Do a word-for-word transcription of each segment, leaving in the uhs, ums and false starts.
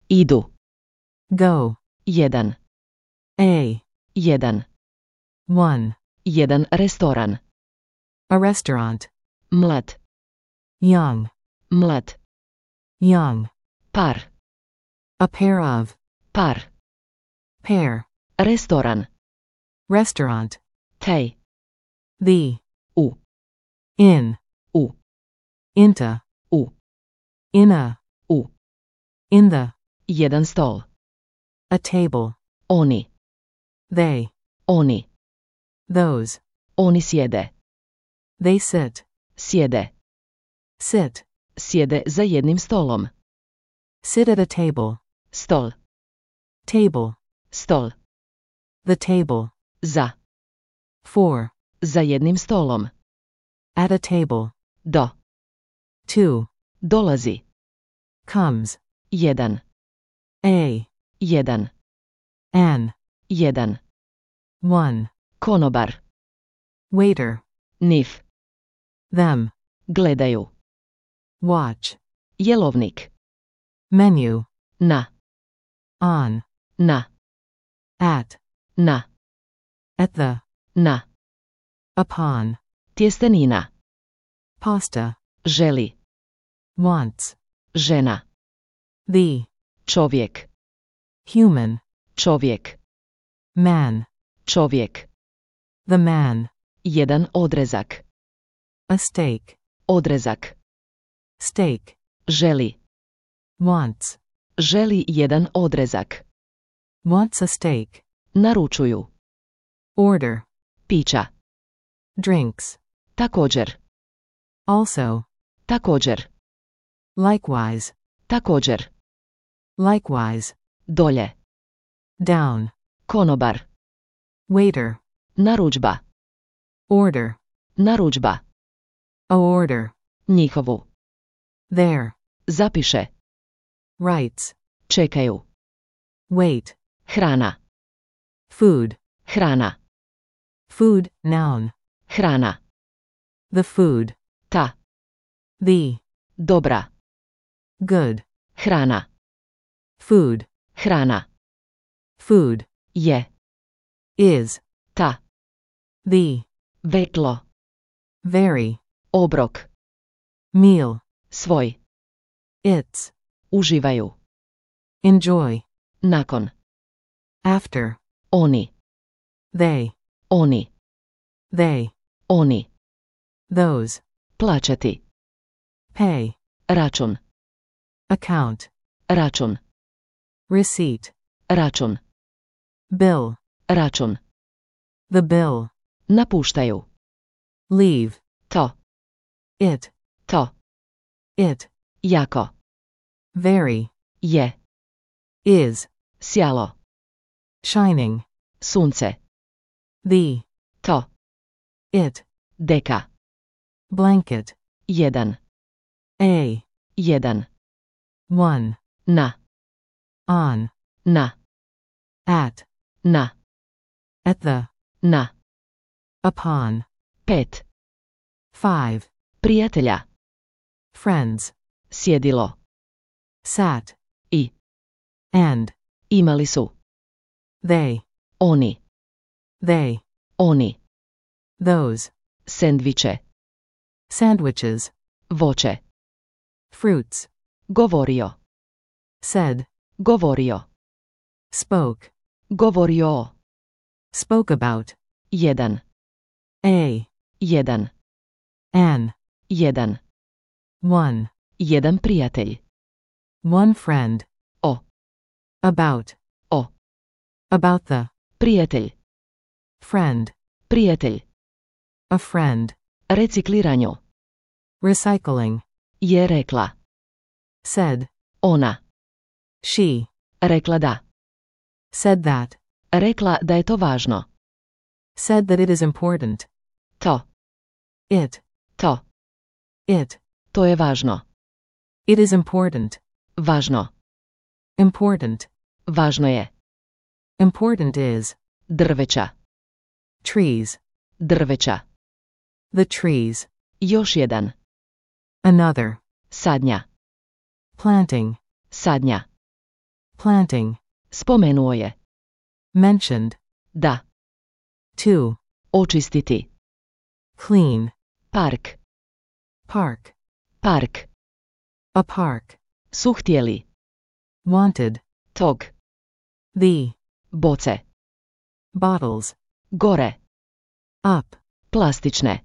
Idu. Go. Jedan. A. Jedan. One. Jedan restoran. A restaurant. Mlad. Young. Mlad. Young. Par. A pair of. Par. Pair. Restoran. Restaurant. Tej. The. U. In. U. Into. U. In a. U. In the. Jedan stol. A table. Oni. They. Oni. Those. Oni sjede. They sit. Sjede. Sit. Sjede za jednim stolom. Sit at a table. Stol. Table. Stol. The table. Za. For. Za jednim stolom. At a table. Do. To. Dolazi. Comes. Jedan. A. Jedan. An. Jedan. One. Konobar. Waiter. Nif. Them. Gledaju. Watch. Jelovnik. Menu. Na. On. Na. At. Na. At the. Na. Upon. Tjestenina. Pasta. Želi. Wants. Žena. The. Čovjek. Human. Čovjek. Man. Čovjek. The man. Jedan odrezak. A steak. Odrezak. Steak. Želi. Wants. Želi jedan odrezak. Wants a steak. Naručuju. Order. Pića. Drinks. Također. Also. Također. Likewise. Također. Likewise. Dolje. Down. Konobar. Waiter. Narudžba. Order. Narudžba. A order. Njihovu. There. Zapiše. Rights. Čekaju. Wait. Hrana. Food. Hrana. Food. Noun. Hrana. The food. Ta. The. Dobra. Good. Hrana. Food. Hrana. Food. Je. Is. Ta. The. Veklo. Very. Obrok. Meal. Svoj. It's. Uživaju. Enjoy. Nakon. After. Oni. They. Oni. They. Oni. Those. Plaćati. Pay. Račun. Account. Račun. Receipt. Račun. Bill. Račun. The bill. Napuštaju. Leave. To. It. To. It. Jako. Very. Je. Is. Sjalo. Shining. Sunce. The. To. It. Deka. Blanket. Jedan. A. Jedan. One. Na. On. Na. At. Na. At the. Na. Upon. Pet. Five. Prijatelja. Friends. Sjedilo. Sat. I. And. Imali su. They. Oni. They. Oni. Those. Sendviče. Sandwiches. Voće. Fruits. Govorio. Said. Govorio. Spoke. Govorio. Spoke about. Jedan. A. Jedan. An. Jedan. One. Jedan prijatelj. One friend. O. About. O. About the. Prijatelj. Friend. Prijatelj. A friend. Recikliranju. Recycling. Je rekla. Said. Ona. She. Rekla da. Said that. Rekla da je to važno. Said that it is important. To. It. To. It. To je važno. It is important. Važno. Important. Važno je. Important is. Drveća. Trees. Drveća. The trees. Još jedan. Another. Sadnja. Planting. Sadnja. planting, Spomenuo je. mentioned, Da. to, Očistiti. clean, Park. park, Park. a park, Su htjeli. wanted, Tog. the, Boce. bottles, Gore. up, Plastične.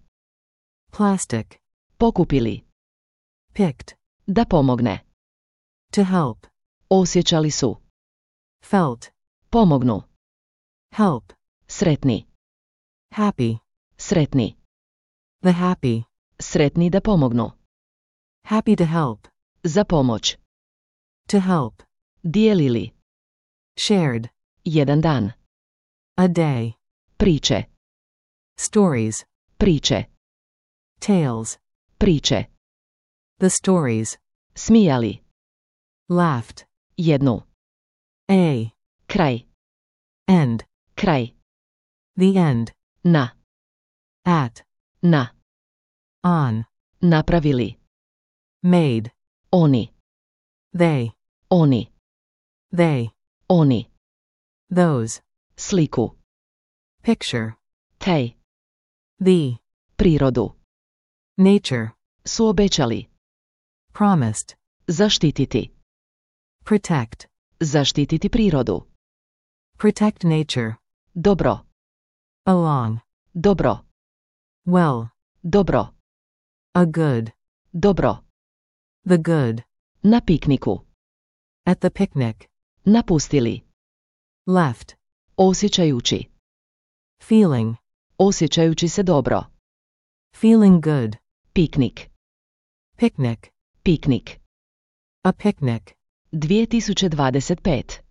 plastic, Pokupili. picked, Da pomogne. to help, Osjećali su. felt, Pomognu. help, Sretni. happy, Sretni. the happy, Sretni da pomognu. happy to help, Za pomoć. to help, Dijelili. shared, Jedan dan. a day, Priče. stories, Priče. tales, Priče. the stories, Smijali. laughed, Jednu. a, Kraj. end, Kraj. the end, Na. at, Na. on, Napravili. made, Oni. they, Oni. they, Oni. those, Sliku. picture, Taj. the, Prirodu. nature, Su obećali. promised, Zaštititi. protect, Zaštititi prirodu. protect nature, Dobro. along, Dobro. well, Dobro. a good, Dobro. the good, Na pikniku. at the picnic, Napustili. left, Osjećajući. feeling, Osjećajući se dobro. feeling good, Piknik. picnic, Piknik. a picnic, dvije tisuće dvadeset pet.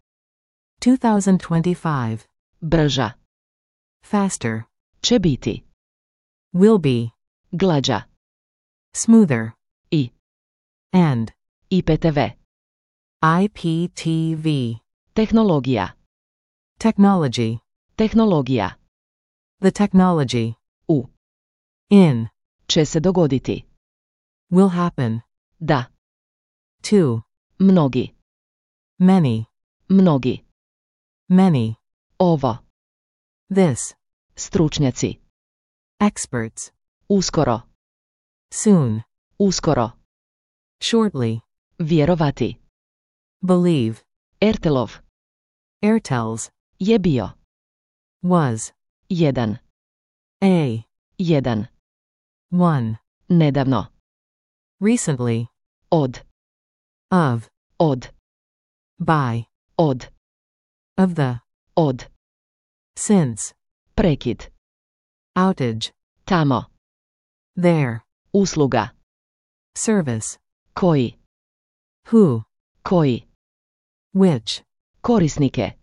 twenty twenty-five, Brža. faster, Će biti. will be, Glađa. smoother, I. and, I P T V. I P T V, Tehnologija. technology, Tehnologija. the technology, U. in, Će se dogoditi. will happen, Da. to, Mnogi. many, Mnogi. many, Ovo. this, Stručnjaci. experts, Uskoro. soon, Uskoro. shortly, Vjerovati. believe, Ertelov. Airtel's, Je bio. was, Jedan. a, Jedan. one, Nedavno. recently, Od. of, Od. by, Od. of the, Od. since, Prekid. outage, Tamo. there, Usluga. service, Koji. who, Koji. which, Korisnike.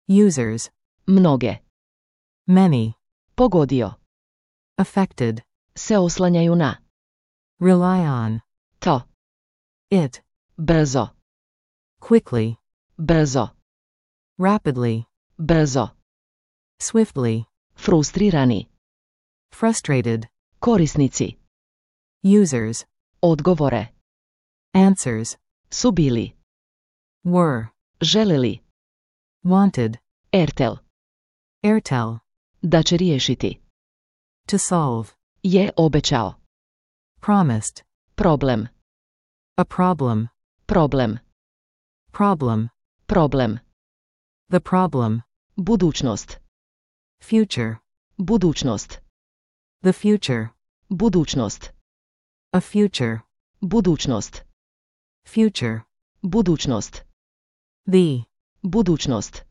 users, Mnoge. many, Pogodio. affected, Se oslanjaju na. rely on, To. it, Brzo. quickly, Brzo. rapidly, Brzo. swiftly, Frustrirani. frustrated, Korisnici. users, Odgovore. answers, Su bili. were, Želeli. wanted, Ertel. Airtel, Da će riješiti. to solve, Je obećao. promised, Problem. a problem, Problem. problem, Problem. the problem, Budućnost. future, Budućnost. the future, Budućnost. a future, Budućnost. future, Budućnost. the, Budućnost.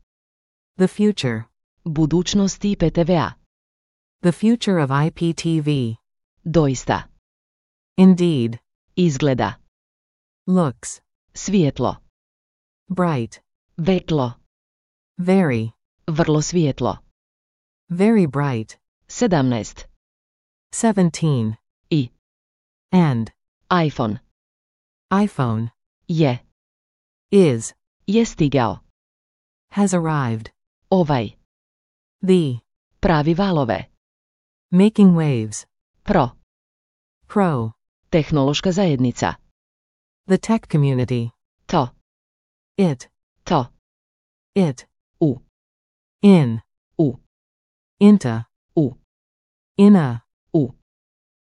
the future, Budućnost I P T V A. the future of I P T V, Doista. indeed, Izgleda. looks, Svijetlo. bright, Vetlo. very, Vrlo svijetlo. very bright, sedamnaest. seventeen, I. and, iPhone. iPhone, Je. is, Je stigao. has arrived, Ovaj. the, Pravi valove. making waves, Pro. pro, Tehnološka zajednica. the tech community, To. it, To. it, U. in, U. into, U. in a, U.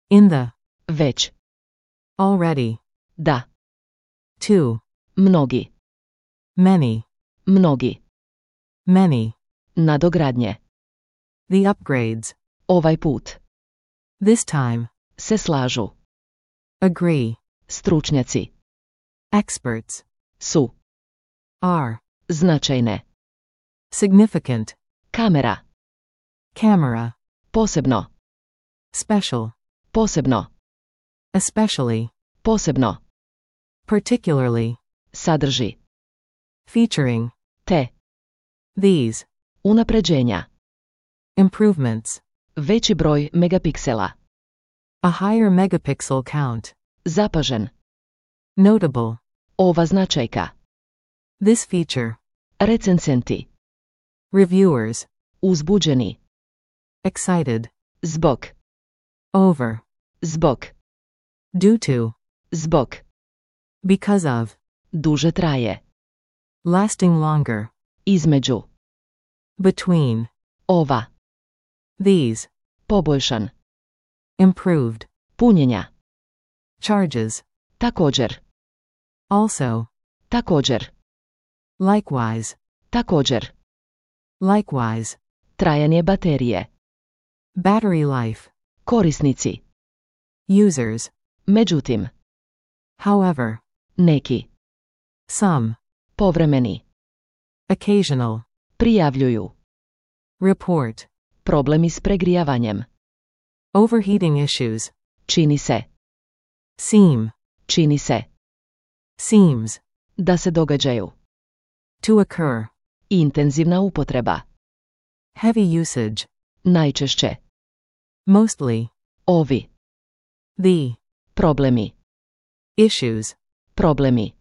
in the, Već. already, Da. to, Mnogi. many, Mnogi. many, Nadogradnje. the upgrades, Ovaj put. this time, Se slažu. agree, Stručnjaci. experts, Su. are, Značajne. significant, Kamera. camera, Posebno. special, Posebno. especially, Posebno. particularly, Sadrži. featuring, Te. these, Unapređenja. improvements, Veći broj megapiksela. a higher megapixel count, Zapažen. notable, Ova značajka. this feature, Recenzenti. reviewers, Uzbuđeni. excited, Zbog. over, Zbog. due to, Zbog. because of, Duže traje. lasting longer, Između. between, Ova. these, Poboljšan. improved, Punjenja. charges, Također. also, Također. likewise, Također. likewise, Trajanje baterije. battery life, Korisnici. users, Međutim. however, Neki. some, Povremeni. occasional, Prijavljuju. report, Problemi s pregrijavanjem. overheating issues, Čini se. seem, Čini se. seems, Da se događaju. to occur, Intenzivna upotreba. heavy usage, Najčešće. mostly, Ovi. the, Problemi. issues, Problemi.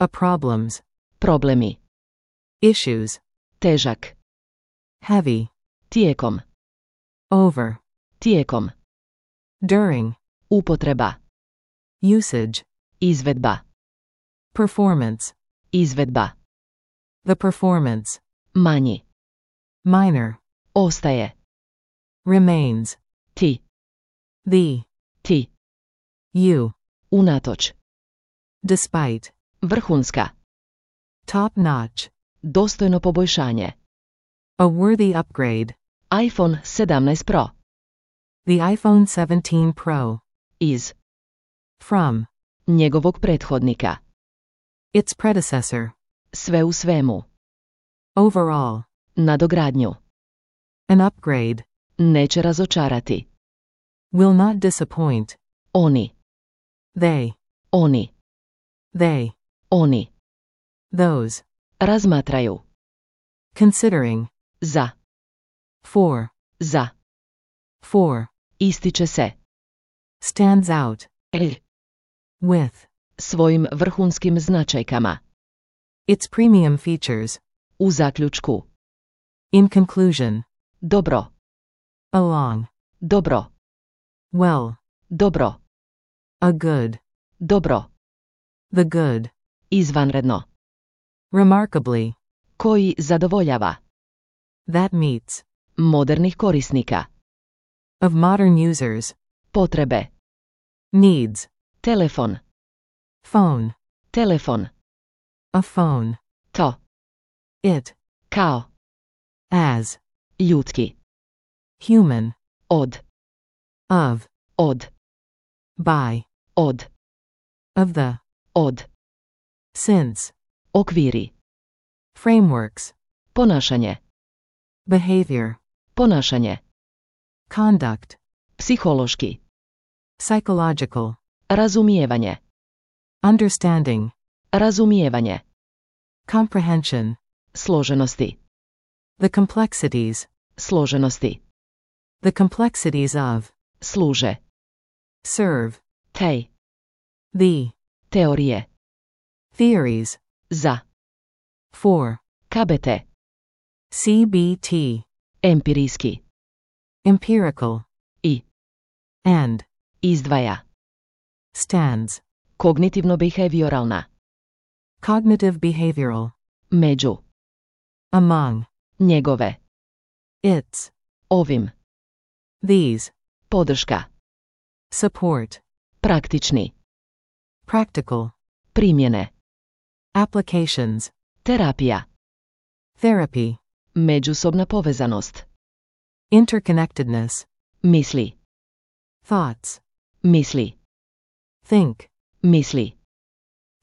a problems, Problemi. issues, Težak. heavy, Tijekom. over, Tijekom. during, Upotreba. usage, Izvedba. performance, Izvedba. the performance, Manji. minor, Ostaje. remains, Ti. the, Ti. you, Unatoč. despite, Vrhunska. top notch, Dostojno poboljšanje. a worthy upgrade, iPhone sedamnaest Pro. the iPhone seventeen Pro, Iz. from, Njegovog prethodnika. its predecessor, Sve u svemu. overall, Nadogradnju. an upgrade, Neće razočarati. will not disappoint, Oni. they, Oni. they, Oni. those, Razmatraju. considering, Za. for, Za. for, Ističe se. stands out, L. with, Svojim vrhunskim značajkama. its premium features, U zaključku. in conclusion, Dobro. along, Dobro. well, Dobro. a good, Dobro. the good, Izvanredno. remarkably, Koji zadovoljava. that meets, Modernih korisnika. of modern users, Potrebe. needs, Telefon. phone, Telefon. a phone, To. it, Kao. as, Ljudski. human, Od. of, Od. by, Od. of the, Od. since, Okviri. frameworks, Ponašanje. behavior, Ponašanje. conduct, Psihološki. psychological, Razumijevanje. understanding, Razumijevanje. comprehension, Složenosti. the complexities, Složenosti. the complexities of, Služe. serve, Tej. the, Teorije. theories, Za. for, K B T. C B T, Empirijski. empirical, I. and, Izdvaja. stands, Kognitivno-behavioralna. cognitive behavioral, Među. among, njegove, its, ovim, these, podrška, support, praktični, practical, primjene, applications, terapija, therapy, međusobna povezanost, interconnectedness, misli, thoughts, misli, think, misli,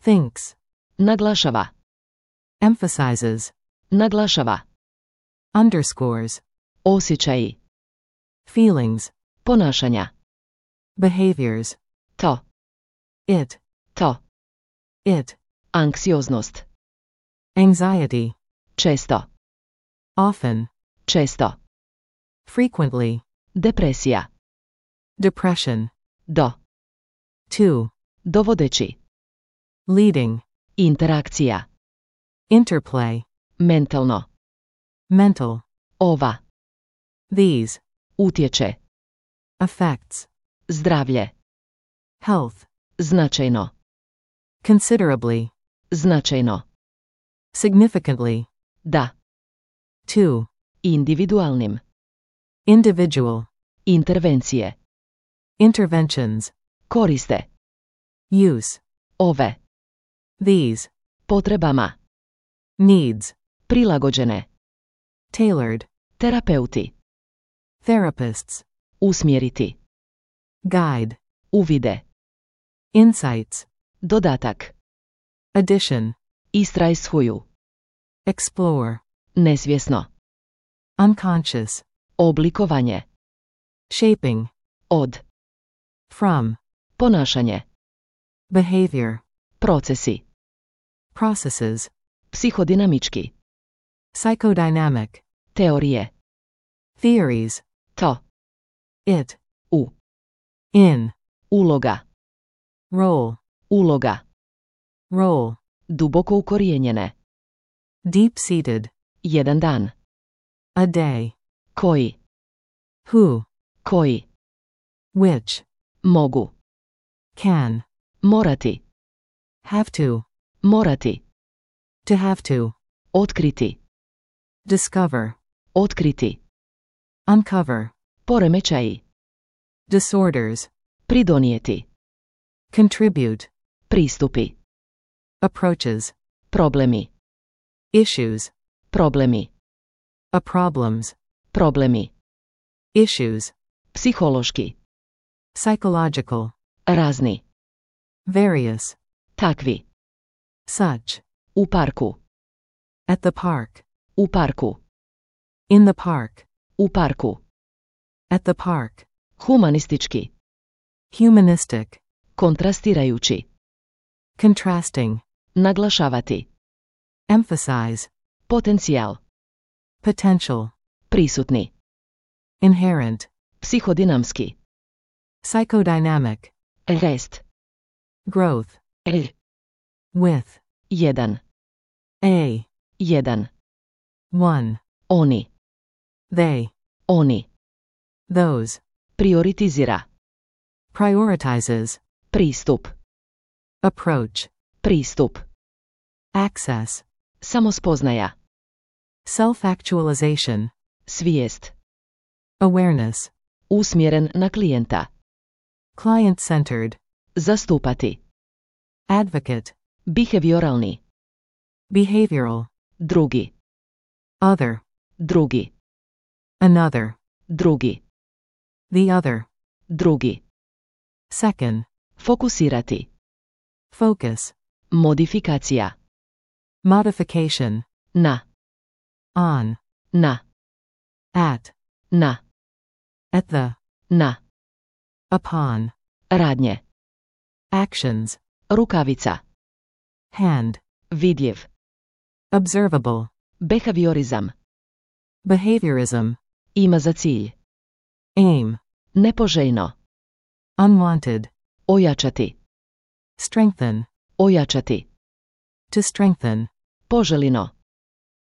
thinks, naglašava, emphasizes, naglašava, underscores, osjećaji, feelings, ponašanja, behaviors, to, it, to, it, anksioznost, anxiety, često, often, često, frequently, depresija, depression, do, to, dovodeći, leading, interakcija, interplay, mentalno, mental, ova, these, utječe, affects, zdravlje, health, značajno, considerably, značajno, significantly, da, to, individualnim, individual, intervencije, interventions, koriste, use, ove, these, potrebama, needs, prilagođene, tailored, terapeuti, therapists, usmjeriti, guide, uvide, insights, dodatak, addition, istrajshuju, explore, nesvjesno, unconscious, oblikovanje, shaping, od, from, ponašanje, behavior, procesi, processes, psihodinamički, psychodynamic, teorije, theories, to, it, u, in, uloga, role, uloga, role, duboko ukorijenjene, deep-seated, jedan dan, a day, koji, who, koji, which, mogu, can, morati, have to, morati, to have to, otkriti, discover, otkriti, uncover, poremećaji, disorders, pridonijeti, contribute, pristupi, approaches, problemi, issues, problemi, a problems, problemi, issues, psihološki, psychological, razni, various, takvi, such, u parku, at the park, u parku, in the park, u parku, at the park, humanistički, humanistic, kontrastirajući, contrasting, naglašavati, emphasize, potencijal, potential, prisutni, inherent, psihodinamski, psychodynamic, rest, growth, r, with, jedan, a, jedan, one, oni, they, oni, those, prioritizira, prioritizes, pristup, approach, pristup, access, samospoznaja, self-actualization, svijest, awareness, usmjeren na klijenta, client-centered, zastupati, advocate, behavioralni, behavioral, drugi, other, drugi, another, drugi, the other, drugi, second, fokusirati, focus, modifikacija, modification, na, on, na, at, na, at the, na, upon, radnje, actions, rukavica, hand, vidljiv, observable, behaviorizam, behaviorism, ima za cilj, aim, nepoželjno, unwanted, ojačati, strengthen, ojačati, to strengthen, poželino,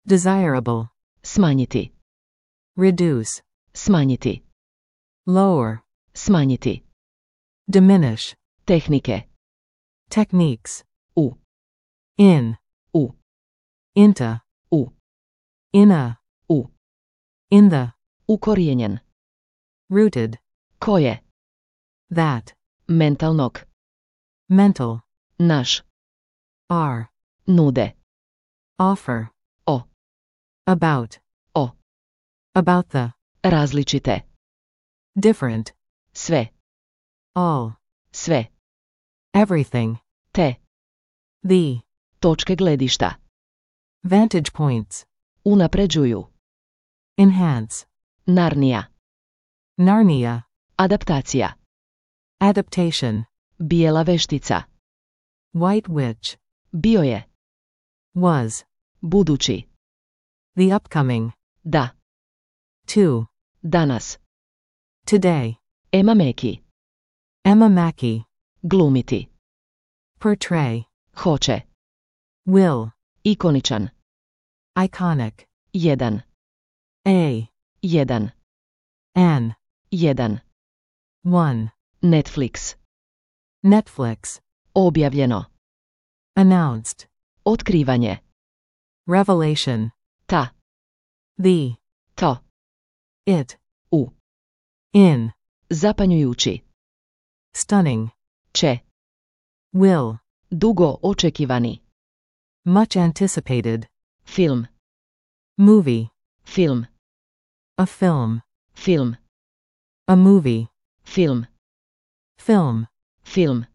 desirable, smanjiti, reduce, smanjiti, lower, smanjiti, diminish, tehnike, techniques, u, in, u, into, u, In a. U. In the. Ukorijenjen. Rooted. Koje. That. Mentalnog. Mental. Naš. Are. Nude. Offer. O. About. O. About the. Različite. Different. Sve. All. Sve. Everything. Te. The. Točke gledišta. Vantage points. Unapređuju. Enhance. Narnija. Narnia. Adaptacija. Adaptation. Bijela veštica. White witch. Bio je. Was. Budući. The upcoming. Da. To. Danas. Today. Ema Meki. Emma Mackey. Glumiti. Portray. Hoće. Will. Ikoničan. Iconic. Jedan. A. Jedan. An. Jedan. One. Netflix. Netflix. Objavljeno. Announced. Otkrivanje. Revelation. Ta. The. To. It. U. In. Zapanjujući. Stunning. Će. Will. Dugo očekivani. Much anticipated. Film. Movie. Film. A film. Film. A movie. Film. Film. Film.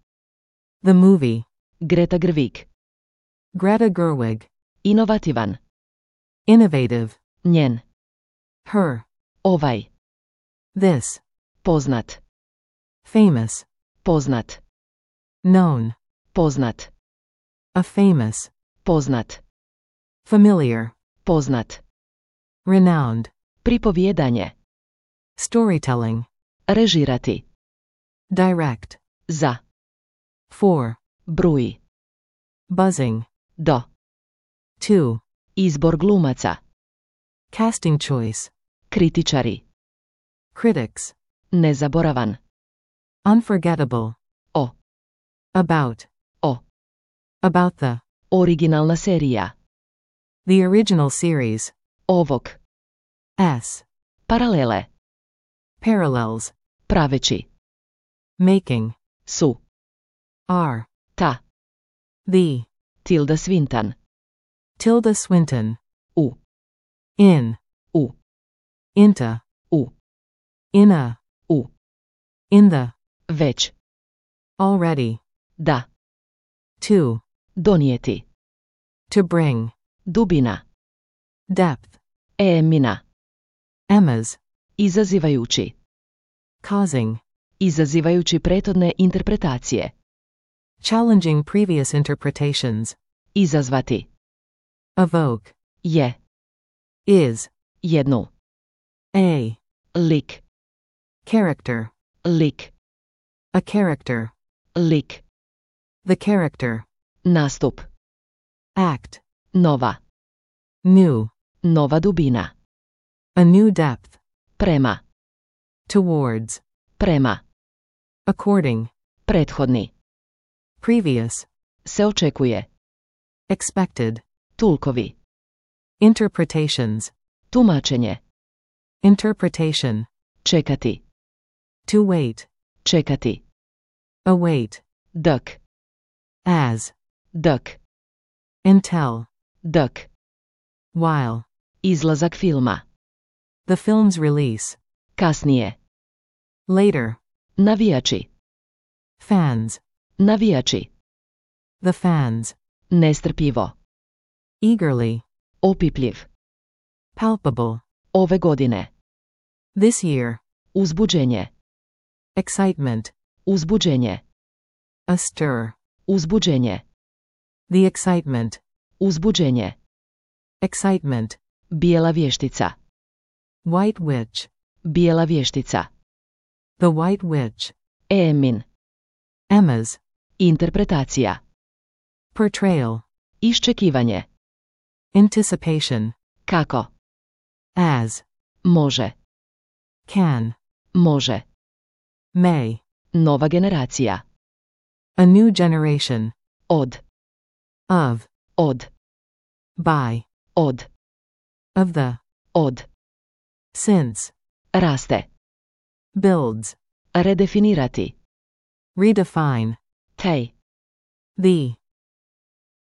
The movie. Greta Gerwig. Greta Gerwig. Inovativan. Innovative. Njen. Her. Ovaj. This. Poznat. Famous. Poznat. Known. Poznat. A famous. Poznat. Familiar. Poznat. Renowned. Pripovjedanje. Storytelling. Režirati. Direct. Za. For. Bruji. Buzzing. Do. To. Izbor glumaca. Casting choice. Kritičari. Critics. Nezaboravan. Unforgettable. O. About. O. About the. Originalna serija. The original series. Ovog. S. Paralele. Parallels. Praveći. Making. Su. Are. Ta. The. Tilda Swinton. Tilda Swinton. U. In. U. Into. U. In a. U. In the. Već. Already. Da. To. Donijeti. To bring. Dubina. Depth. Emina. Emma's. Izazivajući. Causing. Izazivajući prethodne interpretacije. Challenging previous interpretations. Izazvati. Evoke. Je. Is. Jednu. A. Lik. Character. Lik. A character. Lik. The character. Nastup. Act. Nova. New. Nova dubina. A new depth. Prema. Towards. Prema. According. Prethodni. Previous. Se očekuje. Expected. Tulkovi. Interpretations. Tumačenje. Interpretation. Čekati. To wait. Čekati. Await. Dok. As. Dok. Until. Dok. While. Izlazak filma. The film's release. Kasnije. Later. Navijači. Fans. Navijači. The fans. Nestrpljivo. Eagerly. Opipljiv. Palpable. Ove godine. This year. Uzbuđenje. Excitement. Uzbuđenje. A stir. Uzbuđenje. The excitement. Uzbuđenje. Excitement. Bijela vještica. White witch. Bijela vještica. The white witch. Emin. Emma's. Interpretacija. Portrayal. Iščekivanje. Anticipation. Kako. As. Može. Can. Može. May. Nova generacija. A new generation. Od. Of. Od. By. Od. Of the. Od. Since. Raste. Builds. Redefinirati. Redefine. Tej. The.